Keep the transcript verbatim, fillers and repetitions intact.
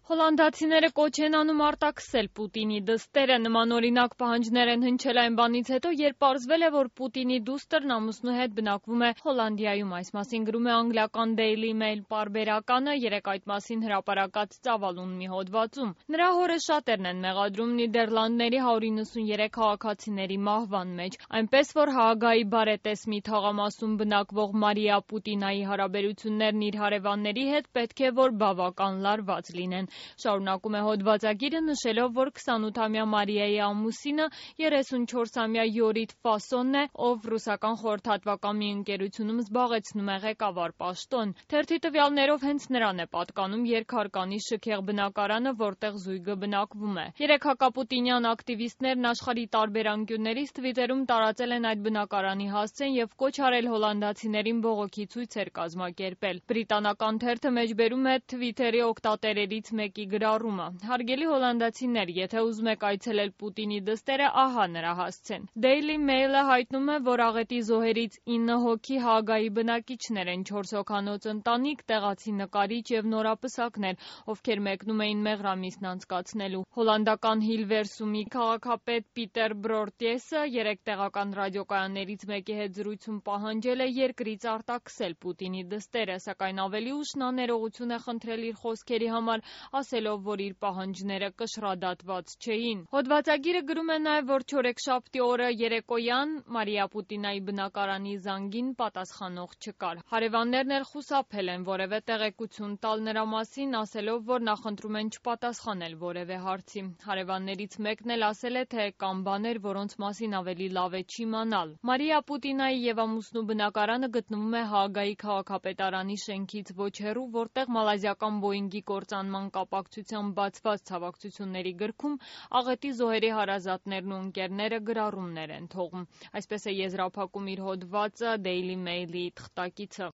Հոլանդացիները կոչ են անում արտաքսել Պուտինի դստերը, նմանօրինակ պահանջներ են հնչել այն բանից հետո, երբ պարզվել է, որ Պուտինի դուստրն ամուսնու հետ բնակվում է Հոլանդիայում, այս մասին գրում է անգլիական Daily Mail պարբերականը, երեկ այդ մասին հրապարակած ծավալուն մի հոդվածում։ Նրա հորը շատերն են մեղադրում Նիդերլանդների հարյուր իննսուներեք քաղաքացիների մահվան մեջ, այնպես որ Հաագայի բարետեսմի թաղամասում բնակվող Մարիա Պուտինայի հարաբերություններն իր հարևանների հետ պետք է որ բավական լարված լինեն։ Շարունակում է հոդվածագիրը նշելով, որ քսանութամյա Մարիայի ամուսինը երեսունչորսամյա Յորիթ Ֆասոնն է, ով ռուսական խորհրդատվական մի ընկերությունում զբաղեցնում է ղեկավար պաշտոն։ Թերթի տվյալներով հենց նրան է պատկանում երկհարկանի շքեղ բնակարանը, որտեղ զույգը բնակվում է։ Երեք հակապուտինյան ակտիվիստներն աշխարհի տարբեր անկյուններից Թվիտերում տարածել են այդ բնակարանի հասցեն եւ կոչ արել հոլանդացիներին բողոքի ցույցեր կազմակերպել։ Բրիտանական թերթը մեջբերում է Թվիտերի օգտատերերից մեկի գրառումը. Հարգելի հոլանդացիներ, եթե ուզում եք այցելել Պուտինի դստերը, ահա նրա հասցեն։ Daily Mail-ը հայտնում է, որ աղետի զոհերից ինը հոգի Հաագայի բնակիչներ են, չորս հոգանոց ընտանիք, տեղացի նկարիչ եւ նորապսակներ, ովքեր մեկնում էին մեղրամիսն անցկացնելու։ Հոլանդական Հիլվերսումի քաղաքապետ Պիտեր Բրորտեսը երեք տեղական ռադիոկայաններից մեկի հետ զրույցում պահանջել է երկրից արտաքսել Պուտինի դստերը, սակայն ավելի ուշ նա ներողություն է խնդրել իր խոսքերի համար, ասելով, որ իր պահանջները կշռադատված չէին։ Հոդվածագիրը գրում է նաև, որ չորեքշաբթի օրը երեկոյան Մարիա Պուտինայի բնակարանի զանգին պատասխանող չկար։ Հարևաններն էլ խուսափել են որևէ տեղեկություն տալ նրա մասին, ասելով, որ նախընտրում են չպատասխանել որևէ հարցի։ Հարևաններից մեկն էլ ասել է, թե կան բաներ, որոնց մասին ավելի լավ է չիմանալ։ Մարիա Պուտինայի եւ ամուսնու բնակարանը գտնվում է Հաագայի քաղաքապետարանի շենքից ոչ հեռու, որտեղ մալազիական Բոինգի կործանման կապակցությամբ բացված ցավակցությունների գրքում աղետի զոհերի հարազատներն ու ընկերները գրառումներ են թողում։ Այսպես է եզրափակում իր հոդվածը Daily Mail-ի թղթակիցը։